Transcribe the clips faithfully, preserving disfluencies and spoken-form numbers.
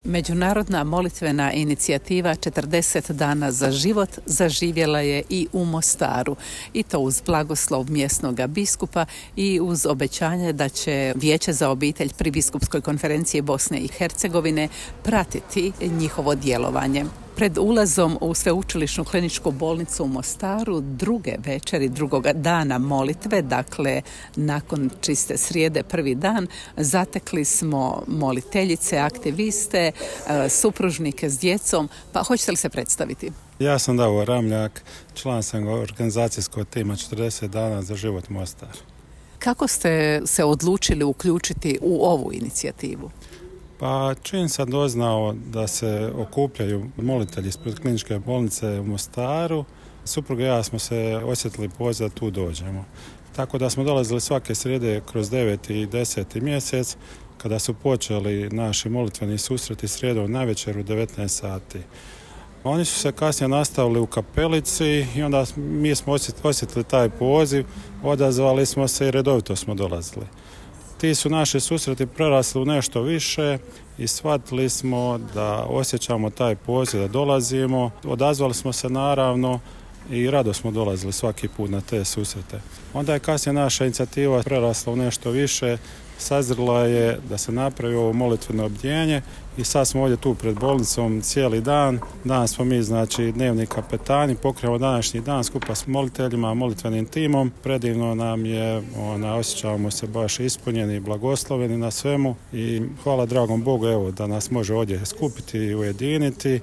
Međunarodna molitvena inicijativa četrdeset dana za život zaživjela je i u Mostaru, i to uz blagoslov mjesnog biskupa i uz obećanje da će Vijeće za obitelj pri Biskupskoj konferenciji Bosne i Hercegovine pratiti njihovo djelovanje. Pred ulazom u Sveučilišnu kliničku bolnicu u Mostaru druge večeri, drugoga dana molitve, dakle nakon čiste srijede prvi dan, zatekli smo moliteljice, aktiviste, supružnike s djecom. Pa hoćete li se predstaviti? Ja sam Davor Ramljak, član sam organizacijskog tima četrdeset dana za život Mostar. Kako ste se odlučili uključiti u ovu inicijativu? Pa čim sam doznao da se okupljaju molitelji ispred kliničke bolnice u Mostaru, supruga i ja smo se osjetili poziv da tu dođemo. Tako da smo dolazili svake srijede kroz deveti i deseti mjesec, kada su počeli naši molitveni susreti srijedom navečer u devetnaest sati. Oni su se kasnije nastavili u kapelici i onda mi smo osjetili taj poziv, odazvali smo se i redovito smo dolazili. Ti su naši susreti prerasli u nešto više i shvatili smo da osjećamo taj poziv, da dolazimo. Odazvali smo se naravno i rado smo dolazili svaki put na te susrete. Onda je kasnije naša inicijativa prerasla u nešto više, sazrela je da se napravi ovo molitveno obdjenje i sad smo ovdje tu pred bolnicom cijeli dan. Danas smo mi, znači, dnevni kapetani, pokrijemo današnji dan skupa s moliteljima, molitvenim timom. Predivno nam je, ona, osjećamo se baš ispunjeni i blagosloveni na svemu i hvala dragom Bogu evo da nas može ovdje skupiti i ujediniti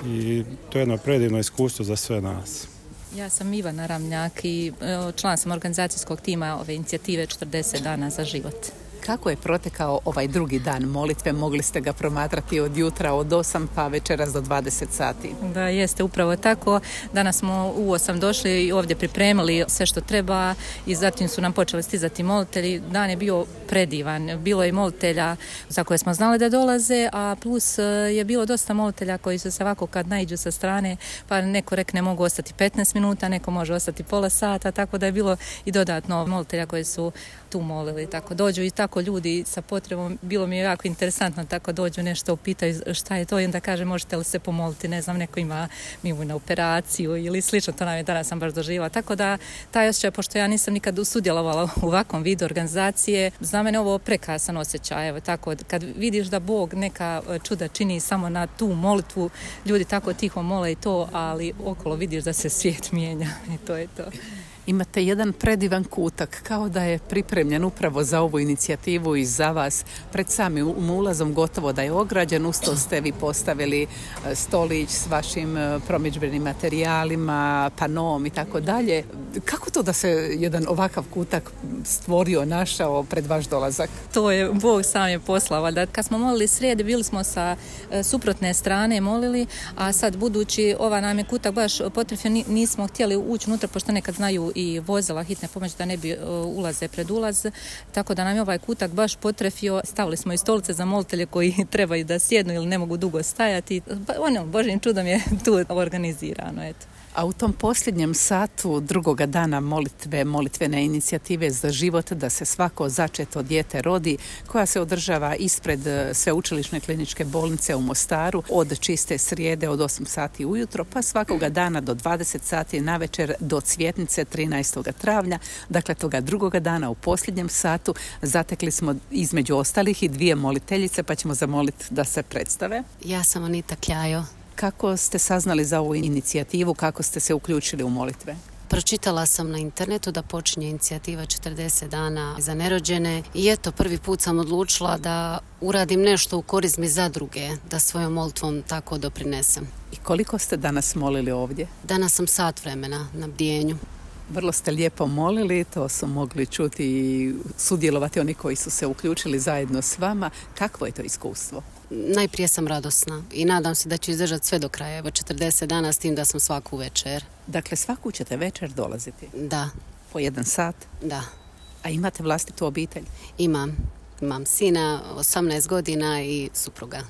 i to je jedno predivno iskustvo za sve nas. Ja sam Ivana Ramljak i član sam organizacijskog tima ove inicijative četrdeset dana za život. Kako je protekao ovaj drugi dan molitve? Mogli ste ga promatrati od jutra od osam pa večeras do dvadeset sati. Da, jeste upravo tako. Danas smo u osam došli i ovdje pripremili sve što treba i zatim su nam počeli stizati molitelji. Dan je bio predivan. Bilo je molitelja za koje smo znali da dolaze, a plus je bilo dosta molitelja koji su se ovako kad naiđu sa strane, pa neko rekne mogu ostati petnaest minuta, neko može ostati pola sata, tako da je bilo i dodatno molitelja koji su tu molili. Tako dođu i tako ljudi sa potrebom, bilo mi je jako interesantno, tako dođu nešto upitaju šta je to i onda kaže možete li se pomoliti, ne znam, neko ima mimu na operaciju ili slično, to nam je danas sam baš doživjela. Tako da taj osjećaj, pošto ja nisam nikad sudjelovala u ovakvom vidu organizacije, za mene ovo prekrasan osjećaj. Evo, tako, kad vidiš da Bog neka čuda čini samo na tu molitvu, ljudi tako tiho mole i to, ali okolo vidiš da se svijet mijenja i to je to. Imate jedan predivan kutak, kao da je pripremljen upravo za ovu inicijativu i za vas. Pred samim ulazom gotovo da je ograđen, uz to ste vi postavili stolić s vašim promidžbenim materijalima, panom i tako dalje. Kako to da se jedan ovakav kutak stvorio, našao pred vaš dolazak? To je Bog sam je poslao. Da kad smo molili srijede, bili smo sa suprotne strane molili, a sad budući ova nam je kutak baš potrefio, nismo htjeli ući unutra, pošto nekad znaju i vozila hitne pomoći da ne bi uh, ulaze pred ulaz, tako da nam je ovaj kutak baš potrefio. Stavili smo i stolice za molitelje koji trebaju da sjednu ili ne mogu dugo stajati. Ono, Božjim čudom je tu organizirano, eto. A u tom posljednjem satu drugoga dana molitve, molitvene inicijative za život, da se svako začeto dijete rodi, koja se održava ispred Sveučilišne kliničke bolnice u Mostaru od čiste srijede od osam sati ujutro, pa svakoga dana do dvadeset sati navečer do Cvjetnice trinaestog travnja, dakle toga drugoga dana u posljednjem satu, zatekli smo između ostalih i dvije moliteljice, pa ćemo zamoliti da se predstave. Ja sam Anita Kljajo. Kako ste saznali za ovu inicijativu, kako ste se uključili u molitve? Pročitala sam na internetu da počinje inicijativa četrdeset dana za nerođene i eto, prvi put sam odlučila da uradim nešto u korist mi za druge, da svojom molitvom tako doprinesem. I koliko ste danas molili ovdje? Danas sam sat vremena na bdjenju. Vrlo ste lijepo molili, to su mogli čuti i sudjelovati oni koji su se uključili zajedno s vama. Kakvo je to iskustvo? Najprije sam radosna i nadam se da ću izdržati sve do kraja. Evo četrdeset dana s tim da sam svaku večer. Dakle, svaku ćete večer dolaziti? Da. Po jedan sat? Da. A imate vlastitu obitelj? Imam. Imam sina, osamnaest godina i supruga.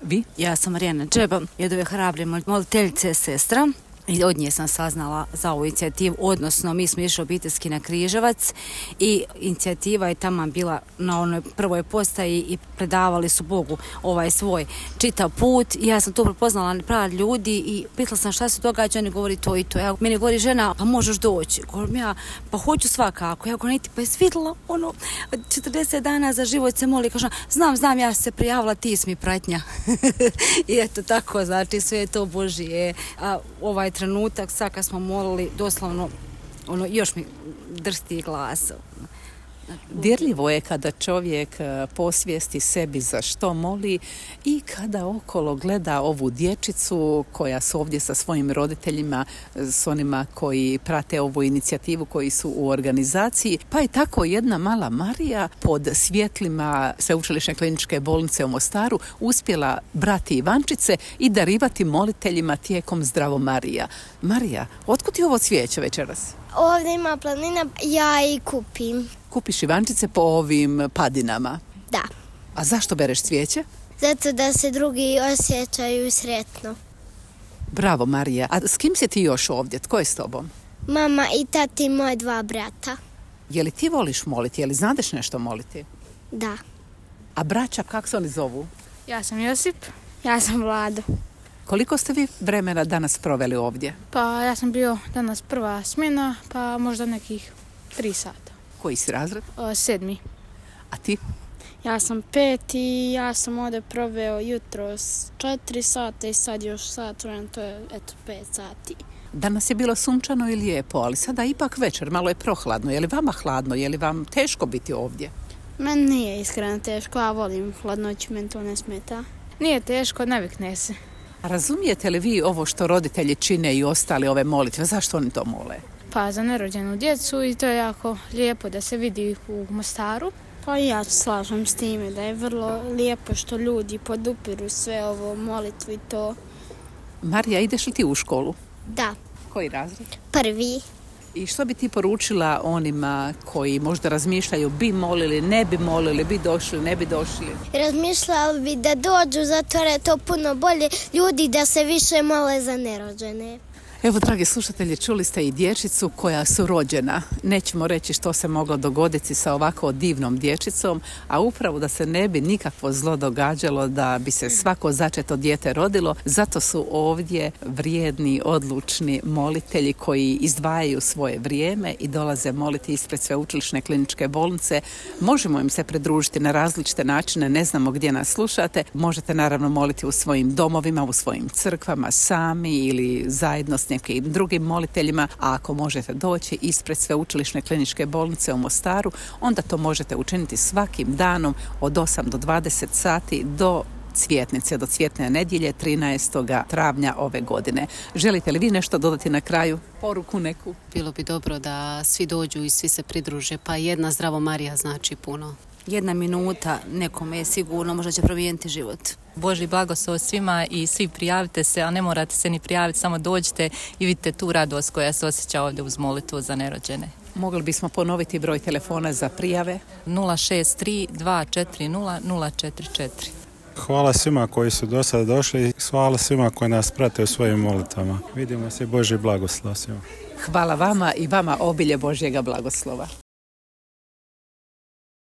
Vi? Ja sam Marijana Džeba, jedove hrabre moliteljice sestra. I od nje sam saznala za ovu inicijativu, odnosno mi smo išli obiteljski na Križevac i inicijativa je tamo bila na onoj prvoj postaji i predavali su Bogu ovaj svoj čitav put i ja sam tu prepoznala prav ljudi i pitala sam šta se događa, oni govori to i to. Ja, meni govori žena, pa možeš doći. Govorim ja, pa hoću svakako. Ja govorim, ti pa je svidjela ono, četrdeset dana za život se moli. Kažem, znam, znam, ja se prijavila, ti si mi pratnja. I eto tako, znači sve je to Božije. A ovaj trenutak, sad kad smo molili, doslovno, ono, još mi drsti glas. Dirljivo je kada čovjek posvijesti sebi za što moli i kada okolo gleda ovu dječicu koja su ovdje sa svojim roditeljima, s onima koji prate ovu inicijativu, koji su u organizaciji. Pa je tako jedna mala Marija pod svjetlima Sveučilišne kliničke bolnice u Mostaru uspjela brati Ivančice i darivati moliteljima tijekom Zdravo Marija. Marija, otkud ti ovo cvijeće večeras? Ovdje ima planina, ja i kupim. Kupiš Ivančice po ovim padinama? Da. A zašto bereš cvijeće? Zato da se drugi osjećaju sretno. Bravo, Marija. A s kim si ti još ovdje? Tko je s tobom? Mama i tati i moje dva brata. Je li ti voliš moliti? Je li znadeš nešto moliti? Da. A braća, kako se oni zovu? Ja sam Josip. Ja sam Vlado. Koliko ste vi vremena danas proveli ovdje? Pa ja sam bio danas prva smjena, pa možda nekih tri sata. Koji si razred? O, sedmi. A ti? Ja sam pet i ja sam ovdje proveo jutros četiri sata i sad još sat vremena, to je eto pet sati. Danas je bilo sunčano i lijepo, ali sada ipak večer, malo je prohladno. Je li vama hladno? Je li vam teško biti ovdje? Meni nije iskreno teško, ja volim hladnoću, meni to ne smeta. Nije teško, navikne se. A razumijete li vi ovo što roditelji čine i ostali ove molitve? Zašto oni to mole? Pa za nerođenu djecu i to je jako lijepo da se vidi u Mostaru. Pa ja slažem s time da je vrlo lijepo što ljudi podupiru sve ovo molitvu i to. Marija, ideš li ti u školu? Da. Koji razred? Prvi. I što bi ti poručila onima koji možda razmišljaju bi molili, ne bi molili, bi došli, ne bi došli? Razmišljali bi da dođu, zato je to puno bolje ljudi da se više mole za nerođene. Evo, dragi slušatelji, čuli ste i dječicu koja su rođena. Nećemo reći što se moglo dogoditi sa ovako divnom dječicom, a upravo da se ne bi nikakvo zlo događalo, da bi se svako začeto dijete rodilo. Zato su ovdje vrijedni, odlučni molitelji koji izdvajaju svoje vrijeme i dolaze moliti ispred Sveučilišne kliničke bolnice. Možemo im se pridružiti na različite načine, ne znamo gdje nas slušate. Možete naravno moliti u svojim domovima, u svojim crkvama, sami ili zajedno s nekim drugim moliteljima, a ako možete doći ispred Sveučilišne kliničke bolnice u Mostaru, onda to možete učiniti svakim danom od osam do dvadeset sati do Cvjetnice, do Cvjetne nedjelje trinaestog travnja ove godine. Želite li vi nešto dodati na kraju? Poruku neku? Bilo bi dobro da svi dođu i svi se pridruže, pa jedna Zdravo Marija znači puno. Jedna minuta nekome je sigurno, možda će promijeniti život. Božji blagoslov svima i svi prijavite se, a ne morate se ni prijaviti, samo dođite i vidite tu radost koja se osjeća ovdje uz molitvu za nerođene. Mogli bismo ponoviti broj telefona za prijave? nula šest tri dva četiri nula nula četiri četiri. Hvala svima koji su do sada došli i hvala svima koji nas prate u svojim molitvama. Vidimo se, Božji blagoslov svima. Hvala vama i vama obilje Božjega blagoslova.